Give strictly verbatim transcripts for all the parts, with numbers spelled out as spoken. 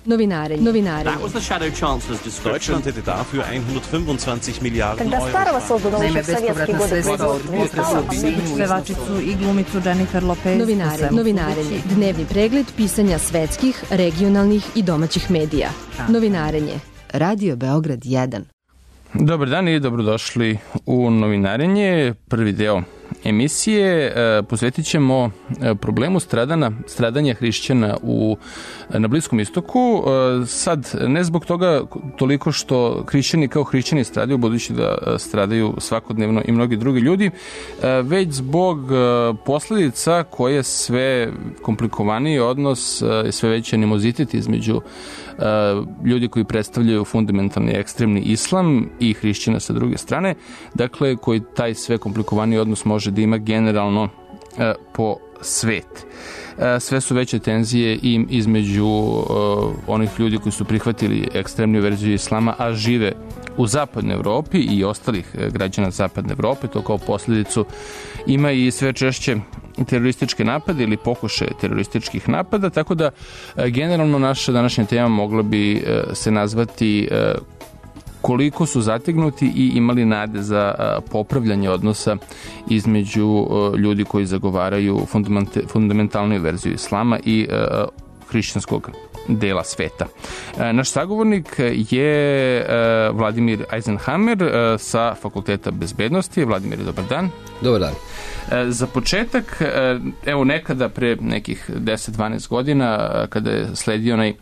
Novinarenje. Novinarenje. Deutschland hätte dafür hundertfünfundzwanzig Milliarden Euro. Naime, bespovratna sredstva od pevačicu i glumicu Jennifer Lopez. Novinarenje. Novinarenje. Dnevni pregled pisanja svetskih, regionalnih i domaćih medija. Novinarenje. Radio Beograd jedan. Dobar dan i dobrodošli u Novinarenje. Prvi deo emisije posvetit ćemo problemu stradana, stradanja hrišćana u, na Bliskom istoku. Sad, ne zbog toga toliko što hrišćani kao hrišćani stradaju, budući da stradaju svakodnevno i mnogi drugi ljudi, već zbog posledica koje sve komplikovaniji odnos i sve veći animozitet između ljudi koji predstavljaju fundamentalni ekstremni islam i hrišćana sa druge strane, dakle koji taj sve komplikovaniji odnos može da ima generalno e, po svet. E, sve su veće tenzije i između e, onih ljudi koji su prihvatili ekstremnu verziju islama, a žive u zapadnoj Evropi i ostalih građana zapadne Evrope. To kao posljedicu ima i sve češće terorističke napade ili pokušaje terorističkih napada, tako da e, generalno naša današnja tema mogla bi e, se nazvati e, koliko su zategnuti i imali nade za popravljanje odnosa između ljudi koji zagovaraju fundamentalnu verziju islama i hrišćanskog dela sveta. Naš sagovornik je Vladimir Eisenhammer sa Fakulteta bezbednosti. Vladimir, dobar dan. Dobar dan. Za početak, evo nekada pre nekih deset do dvanaest godina, kada je sledio onaj,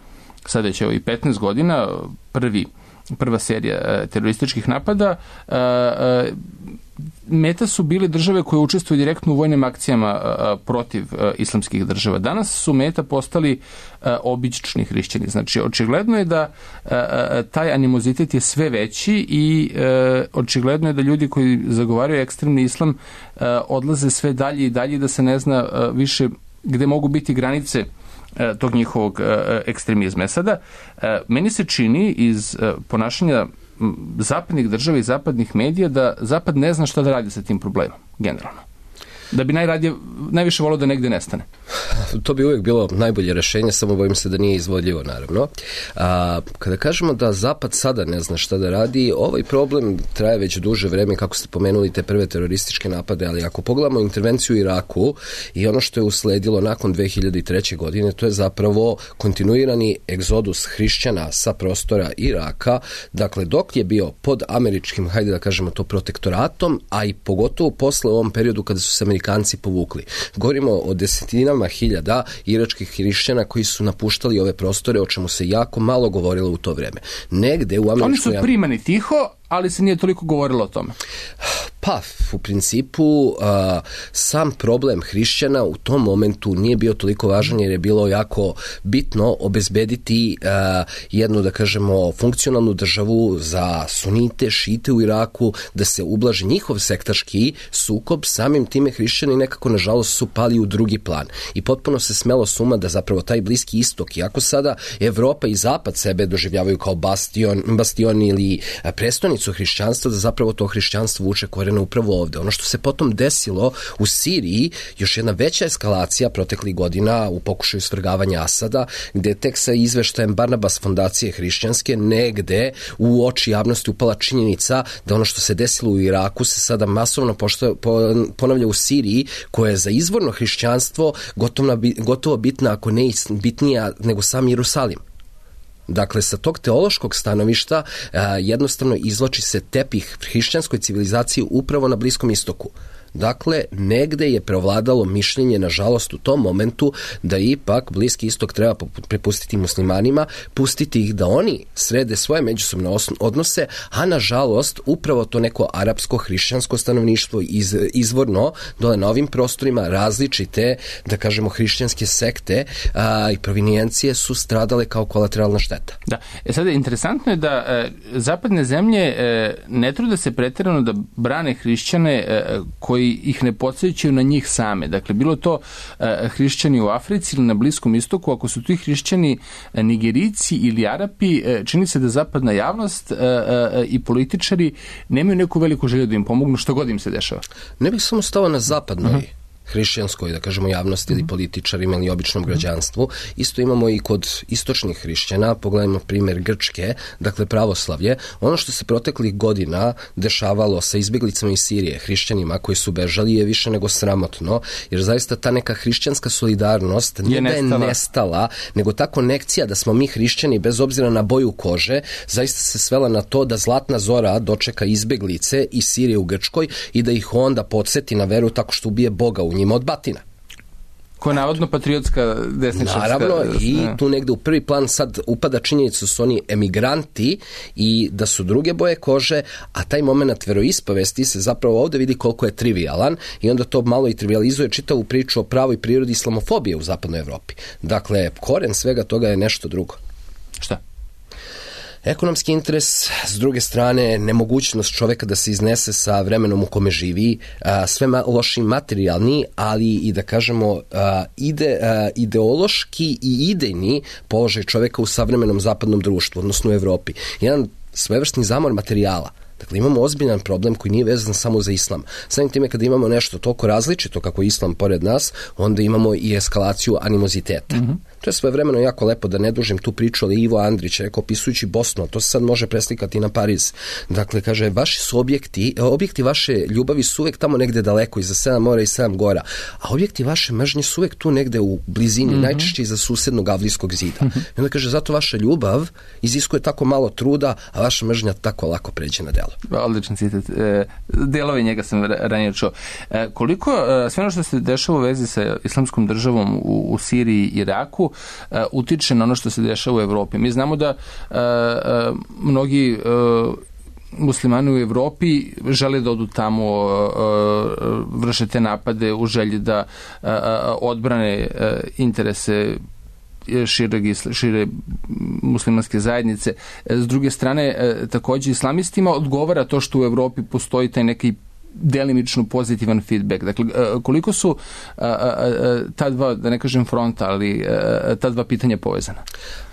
sada će evo i petnaest godina, prvi prva serija terorističkih napada, meta su bile države koje učestvuju direktno u vojnim akcijama protiv islamskih država. Danas su meta postali obični hrišćani. Znači, očigledno je da taj animozitet je sve veći i očigledno je da ljudi koji zagovaraju ekstremni islam odlaze sve dalje i dalje, da se ne zna više gde mogu biti granice tog njihovog ekstremizma. Sada, meni se čini iz ponašanja zapadnih država i zapadnih medija da Zapad ne zna šta da radi sa tim problemom, generalno. Da bi najradije, najviše volio da negde nestane. To bi uvijek bilo najbolje rešenje, samo bojim se da nije izvodljivo, naravno. A, kada kažemo da Zapad sada ne zna šta da radi, ovaj problem traje već duže vreme, kako ste pomenuli te prve terorističke napade, ali ako pogledamo intervenciju u Iraku i ono što je usledilo nakon dve hiljade treće. godine, to je zapravo kontinuirani egzodus hrišćana sa prostora Iraka, dakle dok je bio pod američkim, hajde da kažemo to, protektoratom, a i pogotovo posle u ovom periodu kada su se Amerikanci povukli. Govorimo o desetinama hiljada iračkih hrišćana koji su napuštali ove prostore, o čemu se jako malo govorilo u to vreme. Negde u američkoj... Oni su primani tiho, ali se nije toliko govorilo o tome. Pa, u principu, a, sam problem hrišćana u tom momentu nije bio toliko važan jer je bilo jako bitno obezbediti a, jednu, da kažemo, funkcionalnu državu za sunite, šite u Iraku, da se ublaži njihov sektaški sukob. Samim time hrišćani nekako, nažalost, su pali u drugi plan. I potpuno se smelo suma da zapravo taj Bliski istok, iako sada Evropa i Zapad sebe doživljavaju kao bastion, bastion ili prestonicu hrišćanstva, da zapravo to hrišćanstvo vuče korene upravo ovde. Ono što se potom desilo u Siriji, još jedna veća eskalacija proteklih godina u pokušaju svrgavanja Asada, gde je tek sa izveštajem Barnabas fondacije hrišćanske negde u oči javnosti upala činjenica da ono što se desilo u Iraku se sada masovno pošto, po, ponavlja u Siriji, koja je za izvorno hrišćanstvo gotovo, gotovo bitna, ako ne bitnija nego sam Jerusalim. Dakle, sa tog teološkog stanovišta a, jednostavno izvlači se tepih hrišćanskoj civilizaciji upravo na Bliskom istoku. Dakle, negde je preovladalo mišljenje, nažalost, u tom momentu da ipak Bliski istok treba prepustiti muslimanima, pustiti ih da oni srede svoje međusobne odnose, a nažalost, upravo to neko arapsko-hrišćansko stanovništvo iz, izvorno dole na ovim prostorima različite, da kažemo, hrišćanske sekte a, i provinijencije su stradale kao kolateralna šteta. Da, e sada interesantno je da e, zapadne zemlje e, ne trude se pretjerano da brane hrišćane e, koji ih ne podsjećaju na njih same. Dakle, bilo to e, hrišćani u Africi ili na Bliskom istoku, ako su ti hrišćani e, Nigerici ili Arapi, e, čini se da zapadna javnost e, e, i političari nemaju neku veliku želju da im pomognu što god im se dešava. Ne bih samo stao na zapadnoj uh-huh. hrišćanskoj, da kažemo, javnosti ili političarima ili običnom građanstvu. Isto imamo i kod istočnih hrišćana, pogledajmo primjer Grčke, dakle pravoslavlje. Ono što se proteklih godina dešavalo sa izbjeglicama iz Sirije, hrišćanima koji su bežali, je više nego sramotno, jer zaista ta neka hrišćanska solidarnost nije da je nestala, nego ta konekcija da smo mi hrišćani bez obzira na boju kože, zaista se svela na to da zlatna zora dočeka izbjeglice iz Sirije u Grčkoj i da ih onda podsjeti na veru tako što ubije Boga u njima od batina. Ko je navodno patriotska desničarska... Naravno, i tu negde u prvi plan sad upada činjenica su oni emigranti i da su druge boje kože, a taj moment veroispovesti se zapravo ovde vidi koliko je trivialan i onda to malo i trivializuje čitavu priču o pravoj prirodi islamofobije u zapadnoj Evropi. Dakle, koren svega toga je nešto drugo. Šta? Ekonomski interes, s druge strane, nemogućnost čoveka da se iznese sa vremenom u kome živi, a, sve ma, loši materijalni, ali i da kažemo a, ide, a, ideološki i idejni položaj čoveka u savremenom zapadnom društvu, odnosno u Evropi. Jedan svojevrsni zamor materijala. Dakle, imamo ozbiljan problem koji nije vezan samo za islam. Samim time kada imamo nešto toliko različito kako je islam pored nas, onda imamo i eskalaciju animoziteta. Mm-hmm. To je svojevremeno jako lepo, da ne dužim tu priču, ali Ivo Andrić rekao, opisujući Bosnu, to se sad može preslikati na Pariz. Dakle, kaže, vaši su objekti, objekti vaše ljubavi su uvek tamo negde daleko, iza sedam mora i sedam gora, a objekti vaše mržnje su uvek tu negde u blizini, mm-hmm. najčešće iza susednog Avlijskog zida. Mm-hmm. I onda kaže, zato vaša ljubav iziskuje tako malo truda, a vaša mržnja tako lako pređe na delo. Odličan citat. E, delove njega sam ranije čuo. E, koliko e, sve ono što se dešava u vezi sa islamskom državom u, u Siriji i Iraku e, utiče na ono što se dešava u Evropi? Mi znamo da e, e, mnogi e, muslimani u Evropi žele da odu tamo, e, vrše te napade u želji da e, odbrane e, interese šire, šire muslimanske zajednice. S druge strane, također islamistima odgovara to što u Evropi postoji taj neki delimično pozitivan feedback. Dakle, koliko su ta dva, da ne kažem fronta, ali ta dva pitanja povezana?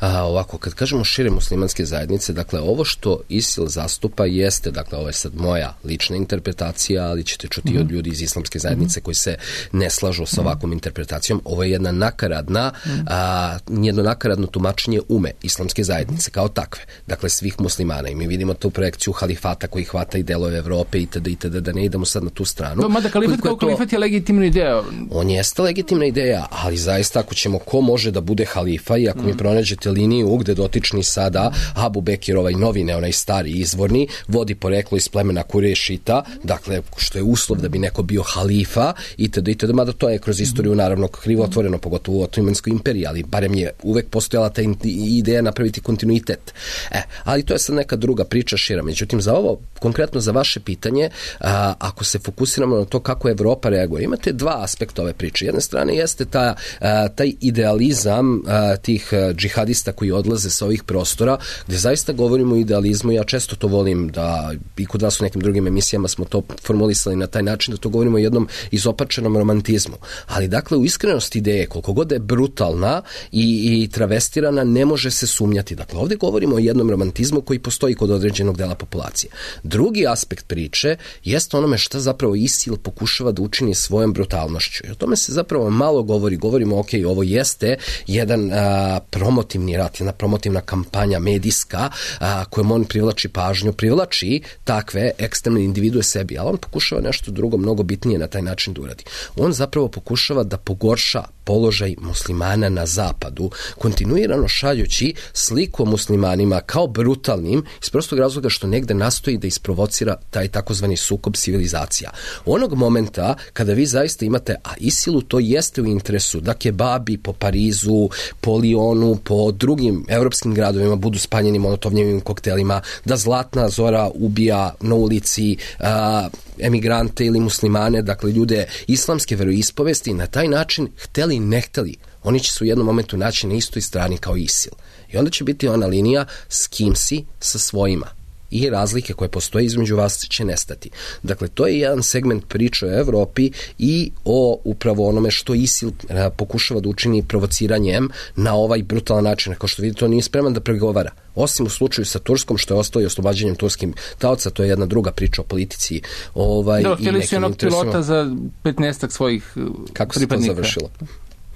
A, ovako, kad kažemo šire muslimanske zajednice, dakle, ovo što ISIL zastupa jeste, dakle, ovo je sad moja lična interpretacija, ali ćete čuti mm-hmm. od ljudi iz islamske zajednice mm-hmm. koji se ne slažu sa ovakvom interpretacijom. Ovo je jedna nakaradna, mm-hmm. a, jedno nakaradno tumačenje ume islamske zajednice kao takve. Dakle, svih muslimana. I mi vidimo tu projekciju halifata koji hvata i delove Evrope itd. itd. Da ne idemo sad na tu stranu. No, mada kalifat kao kalifat je legitimna ideja. On jeste legitimna ideja, ali zaista ako ćemo ko može da bude halifa i ako mm. mi pronađete liniju gde dotični sada Abu Bekir, ovaj novi, ne onaj stari izvorni, vodi poreklo iz plemena Kurešita, dakle, što je uslov da bi neko bio halifa itd. itd. Mada to je kroz istoriju naravno krivotvoreno, pogotovo u Otomanskoj imperiji, ali barem je uvek postojala ta ideja napraviti kontinuitet. E, ali to je sad neka druga priča šira. Međutim, za ovo, konkretno za vaše pitanje, a, ako se fokusiramo na to kako Evropa reaguje, imate dva aspekta ove priče. Jedne strane jeste ta, a, taj idealizam a, tih a, džihadista koji odlaze sa ovih prostora, gde zaista govorimo o idealizmu. Ja često to volim da, i kod vas u nekim drugim emisijama smo to formulisali na taj način, da to govorimo o jednom izopačenom romantizmu. Ali dakle, u iskrenosti ideje, koliko god je brutalna i, i travestirana, ne može se sumnjati. Dakle, ovdje govorimo o jednom romantizmu koji postoji kod određenog dela populacije. Drugi aspekt priče jeste onome šta zapravo ISIL pokušava da učini svojom brutalnošću. I o tome se zapravo malo govori. Govorimo, ok, ovo jeste jedan a, promotivni rat, jedna promotivna kampanja medijska a, kojom on privlači pažnju, privlači takve ekstremne individue sebi, ali on pokušava nešto drugo, mnogo bitnije na taj način da uradi. On zapravo pokušava da pogorša položaj muslimana na zapadu, kontinuirano šaljući sliku o muslimanima kao brutalnim, iz prostog razloga što negde nastoji da isprovocira taj takozvani sukob civilizacija. Onog momenta kada vi zaista imate, a ISIL-u to jeste u interesu, da kebabi po Parizu, po Lionu, po drugim evropskim gradovima budu spaljeni molotovljevim koktelima, da zlatna zora ubija na ulici a, emigrante ili muslimane, dakle ljude islamske veroispovesti, i na taj način, hteli ne hteli, oni će se u jednom momentu naći na istoj strani kao ISIL. I onda će biti ona linija s kim si, sa svojima. i razlike koje postoje između vas će nestati. Dakle, to je jedan segment priče o Evropi i o upravo onome što ISIL pokušava da učini provociranjem na ovaj brutalan način. Kao što vidite, on nije spreman da pregovara. Osim u slučaju sa Turskom, što je ostalo i oslobađanjem turskim taoca, to je jedna druga priča o politici. Ovaj, da, htjeli su jednog pilota za petnaestak svojih pripadnika. Kako se to završilo?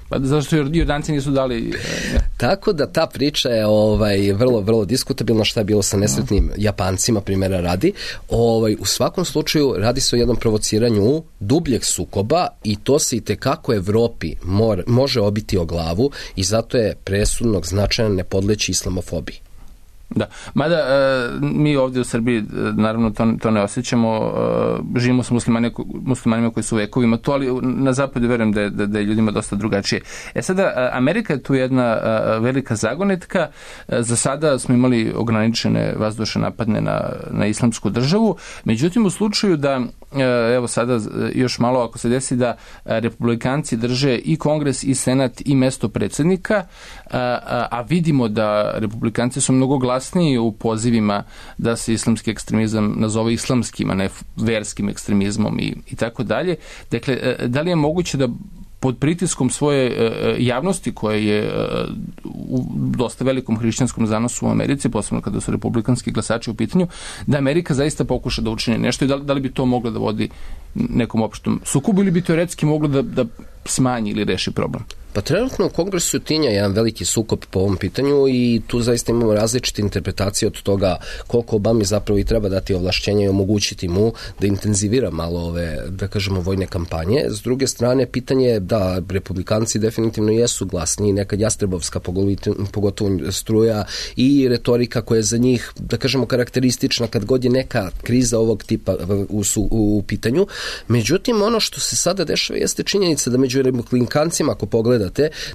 Pa zašto Jordanci nisu dali... Ne. Tako da ta priča je ovaj, vrlo, vrlo diskutabilna, šta je bilo sa nesretnim Japancima, primjera radi. Ovaj, u svakom slučaju radi se o jednom provociranju dubljeg sukoba i to se i tekako Evropi mor, može obiti o glavu i zato je presudnog značaja ne podleći islamofobiji. Da, mada e, mi ovdje u Srbiji naravno to, to ne osjećamo, e, živimo s muslimani, muslimanima koji su vekovima to, ali na zapadu verujem da je, da, da je ljudima dosta drugačije. E sada, Amerika je tu jedna a, velika zagonetka, e, za sada smo imali ograničene vazdušne napadne na, na islamsku državu, međutim u slučaju da e, evo sada još malo ako se desi da republikanci drže i kongres i senat i mesto predsjednika, a, a, a vidimo da republikanci su mnogo glasniji u pozivima da se islamski ekstremizam nazove islamskim, a ne verskim ekstremizmom i, i tako dalje. Dakle, da li je moguće da pod pritiskom svoje javnosti koja je u dosta velikom hrišćanskom zanosu u Americi, posebno kada su republikanski glasači u pitanju, da Amerika zaista pokuša da učini nešto i da, da li bi to moglo da vodi nekom opštom sukobu ili bi teoretski moglo da, da smanji ili reši problem? Pa trenutno u Kongresu tinja jedan veliki sukob po ovom pitanju i tu zaista imamo različite interpretacije od toga koliko Obami zapravo i treba dati ovlašćenja i omogućiti mu da intenzivira malo ove, da kažemo, vojne kampanje. S druge strane, pitanje je da republikanci definitivno jesu glasni, nekad jastrebovska pogotovo struja i retorika koja je za njih, da kažemo, karakteristična kad god je neka kriza ovog tipa u, u, u pitanju. Međutim, ono što se sada dešava jeste činjenica da među republikancima, ako pogledate,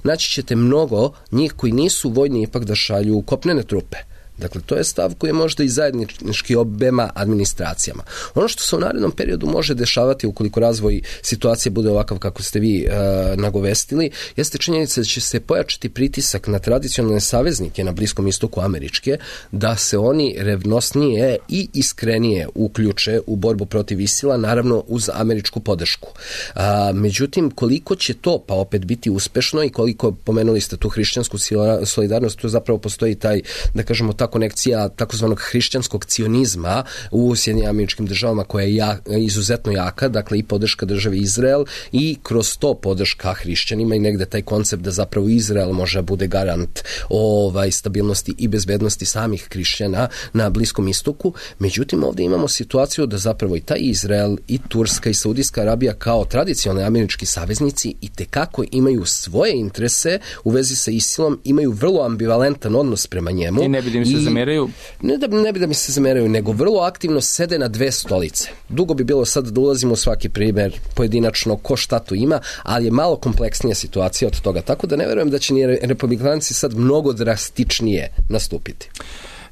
naći ćete mnogo njih koji nisu vojni ipak da šalju kopnene trupe. Dakle, to je stav koji je možda i zajednički obema administracijama. Ono što se u narednom periodu može dešavati ukoliko razvoj situacije bude ovakav kako ste vi e, nagovestili, jeste činjenica da će se pojačati pritisak na tradicionalne saveznike na Bliskom istoku američke, da se oni revnosnije i iskrenije uključe u borbu protiv ISIL-a, naravno uz američku podršku. A, međutim, koliko će to pa opet biti uspešno i koliko, pomenuli ste tu hrišćansku solidarnost, tu zapravo postoji taj, da kažemo, ta konekcija takozvanog hrišćanskog cionizma u Sjedinjenim Američkim Državama koja je ja, izuzetno jaka, dakle i podrška državi Izrael i kroz to podrška hrišćanima i negde taj koncept da zapravo Izrael može bude garant ovaj, stabilnosti i bezbednosti samih hrišćana na Bliskom istoku. Međutim, ovdje imamo situaciju da zapravo i taj Izrael i Turska i Saudijska Arabija kao tradicionalni američki saveznici i tekako imaju svoje interese u vezi sa ISIL-om, imaju vrlo ambivalentan odnos prema njemu. I ne bi da mi se zameraju? Ne da, ne bi da mi se zameraju, nego vrlo aktivno sede na dve stolice. Dugo bi bilo sad da ulazimo u svaki primjer pojedinačno ko šta tu ima, ali je malo kompleksnija situacija od toga. Tako da ne verujem da će ni republikanci sad mnogo drastičnije nastupiti.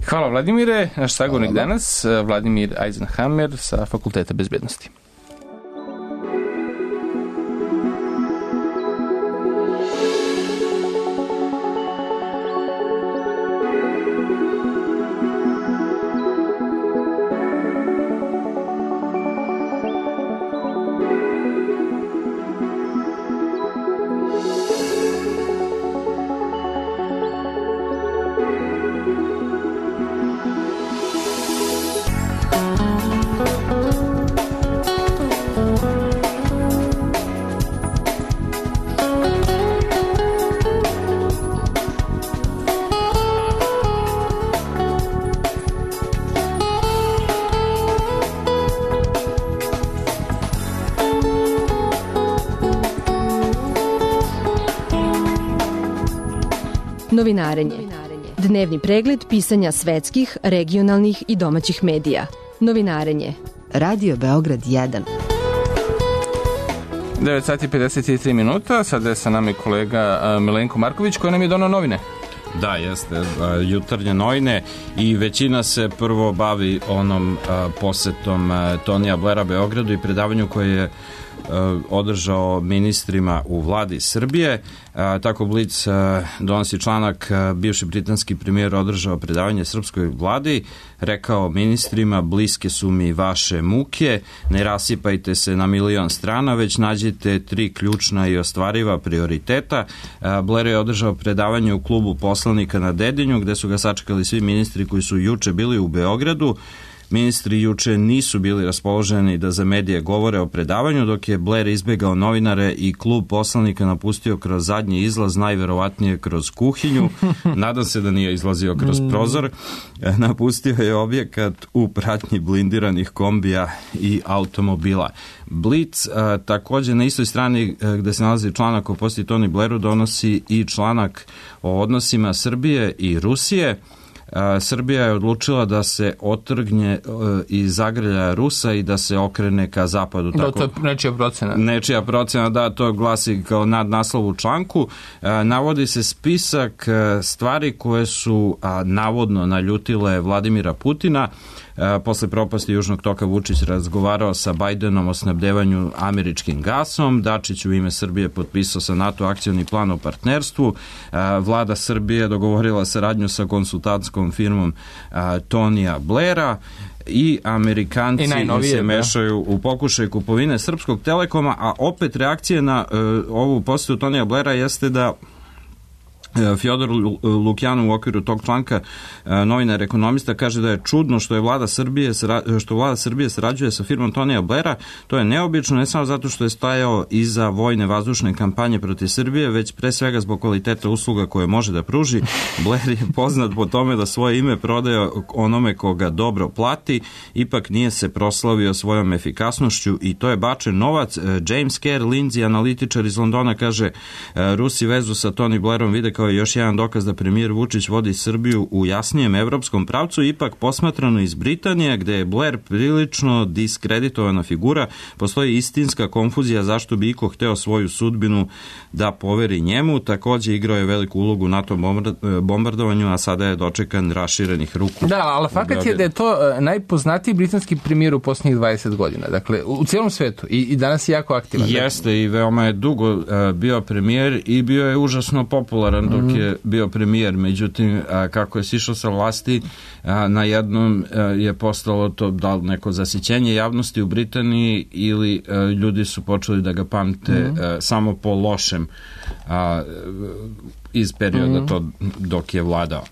Hvala Vladimire. Naš sagovornik danas, Vladimir Eisenhammer sa Fakulteta bezbednosti. Novinarenje. Dnevni pregled pisanja svetskih, regionalnih i domaćih medija. Novinarenje. Radio Beograd jedan. devet sati i pedeset tri minuta. Sada je sa nami kolega Milenko Marković koji nam je donao novine. Da, jeste, jutarnje novine i većina se prvo bavi onom posetom Tonija Blaira Beogradu i predavanju koje je održao ministrima u vladi Srbije. Tako Blic donosi članak, bivši britanski premijer održao predavanje srpskoj vladi, rekao ministrima, bliske su mi vaše muke, ne rasipajte se na milion strana, već nađite tri ključna i ostvariva prioriteta. Blair je održao predavanje u klubu poslanika na Dedinju, gde su ga sačekali svi ministri koji su juče bili u Beogradu. Ministri juče nisu bili raspoloženi da za medije govore o predavanju, dok je Blair izbegao novinare i klub poslanika napustio kroz zadnji izlaz, najverovatnije kroz kuhinju. Nadam se da nije izlazio kroz prozor. Napustio je objekat u pratnji blindiranih kombija i automobila. Blic a, također na istoj strani a, gde se nalazi članak o posjeti Tony Blairu donosi i članak o odnosima Srbije i Rusije. Srbija je odlučila da se otrgne iz zagrljaja Rusa i da se okrene ka zapadu. Da, tako, to je nečija procena. Nečija procena, da, to glasi kao nadnaslov u članku. Navodi se spisak stvari koje su navodno naljutile Vladimira Putina. Posle propasti Južnog toka Vučić razgovarao sa Bajdenom o snabdevanju američkim gasom. Dačić u ime Srbije potpisao sa NATO akcioni plan o partnerstvu. Vlada Srbije dogovorila saradnju sa konsultantskom firmom Tonija Blaira i Amerikanci I se mešaju u pokušaj kupovine Srpskog Telekoma, a opet reakcije na uh, ovu posetu Tonija Blaira jeste da Fjodor Lukjanov u okviru tog članka, novinar ekonomista, kaže da je čudno što je vlada Srbije što vlada Srbije sarađuje sa firmom Tonija Blaira. To je neobično, ne samo zato što je stajao iza vojne vazdušne kampanje protiv Srbije, već pre svega zbog kvaliteta usluga koje može da pruži. Blair je poznat po tome da svoje ime prodaje onome koga dobro plati, ipak nije se proslavio svojom efikasnošću i to je bačen novac. James Kerr, Lindsay, analitičar iz Londona, kaže Rusi vezu sa Tony Blairom vide kao je još jedan dokaz da premijer Vučić vodi Srbiju u jasnijem evropskom pravcu, ipak posmatrano iz Britanije, gde je Blair prilično diskreditovana figura, postoji istinska konfuzija zašto bi iko hteo svoju sudbinu da poveri njemu. Takođe igrao je veliku ulogu u NATO bombardovanju, a sada je dočekan raširenih ruku. Da, ali fakat je da je to najpoznatiji britanski premijer u posljednjih dvadeset godina, dakle u cijelom svetu i, i danas je jako aktivan. Jeste i veoma je dugo uh, bio premijer i bio je užasno popularan dok mm-hmm. je bio premijer, međutim a, kako je sišao sa vlasti, a, na jednom a, je postalo to da li neko zasićenje javnosti u Britaniji ili a, ljudi su počeli da ga pamte mm-hmm. a, samo po lošem a, iz perioda mm-hmm. to dok je vladao.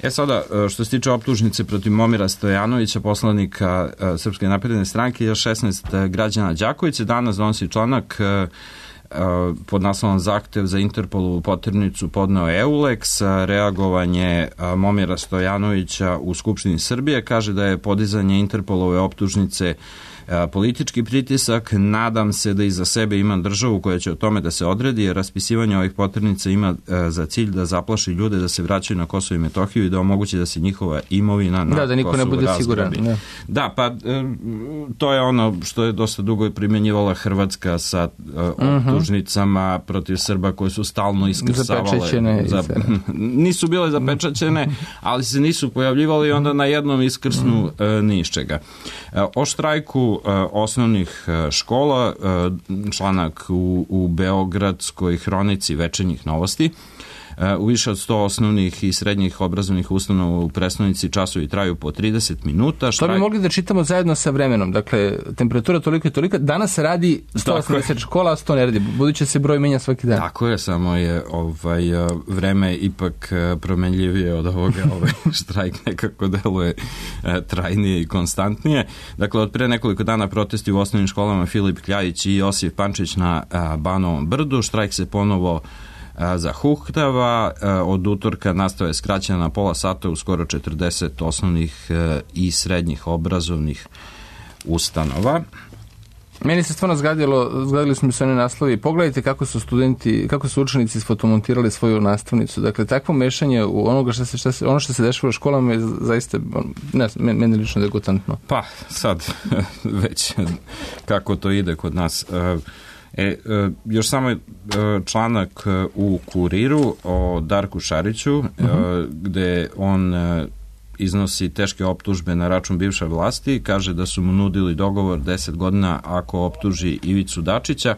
E sada, što se tiče optužnice protiv Momira Stojanovića, poslanika Srpske napredne stranke, još šesnaest građana Đakovice danas donosi članak pod naslovom zahtev za Interpolovu poternicu podneo Eulex. Reagovanje Momira Stojanovića u Skupštini Srbije kaže da je podizanje Interpolove optužnice politički pritisak. Nadam se da iza sebe imam državu koja će o tome da se odredi, jer raspisivanje ovih poternica ima za cilj da zaplaši ljude da se vraćaju na Kosovo i Metohiju i da omogući da se njihova imovina na da, da niko Kosovo ne bude siguran. Ne. Da, pa to je ono što je dosta dugo primjenjivala Hrvatska sa optužnicama uh-huh. protiv Srba koje su stalno iskrsavale. Za, nisu bile zapečaćene, ali se nisu pojavljivali i onda na jednom iskrsnu uh-huh. ni iz čega. O štrajku osnovnih škola, članak u, u Beogradskoj hronici Večernjih novosti. U više od sto osnovnih i srednjih obrazovnih ustanova u prestonici časovi traju po trideset minuta. Štrajk... To bi mogli da čitamo zajedno sa vremenom. Dakle, temperatura toliko i toliko. Danas radi sto osamdeset škola, a sto ne radi. Budući se broj menja svaki dan. Tako je, samo je ovaj, vreme ipak promenljivije od ovoga. Ovaj štrajk nekako deluje trajnije i konstantnije. Dakle, od pre nekoliko dana protesti u osnovnim školama Filip Kljajić i Josif Pančić na Banovom brdu. Štrajk se ponovo zahuktava. Od utorka nastava je skraćena na pola sata u skoro četrdeset osnovnih i srednjih obrazovnih ustanova. Meni se stvarno zgadilo, zgadili su mi se one naslovi. Pogledajte kako su studenti, kako su učenici sfotomontirali svoju nastavnicu. Dakle, takvo mešanje u onoga što se, što se, ono što se dešava u školama je zaista, ne, meni lično degutantno. Pa, sad, već kako to ide kod nas. E, još samo članak u Kuriru o Darku Šariću, uh-huh. gde on iznosi teške optužbe na račun bivše vlasti, kaže da su mu nudili dogovor deset godina ako optuži Ivicu Dačića.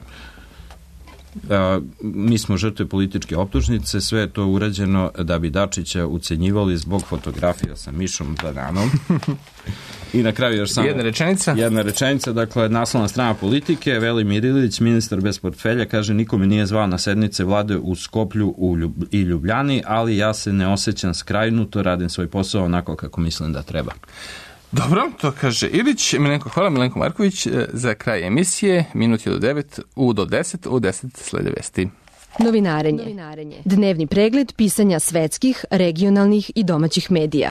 A, mi smo žrtve političke optužnice, sve je to urađeno da bi Dačića ucenjivali zbog fotografija sa Mišom Bananom. I na kraju još samo jedna rečenica. Jedna rečenica, dakle, naslovna strana Politike, Velimir Ilić, ministar bez portfelja, kaže niko me nije zvao na sednice vlade u Skoplju u Ljub, i Ljubljani, ali ja se ne osjećam skrajnuto, radim svoj posao onako kako mislim da treba. Dobro, to kaže Ilić. Milenko, hvala. Milenko Marković za kraj emisije. Minut je do devet, u do deset, u deset slede vesti. Novinarenje. Novinarenje. Dnevni pregled pisanja svetskih, regionalnih i domaćih medija.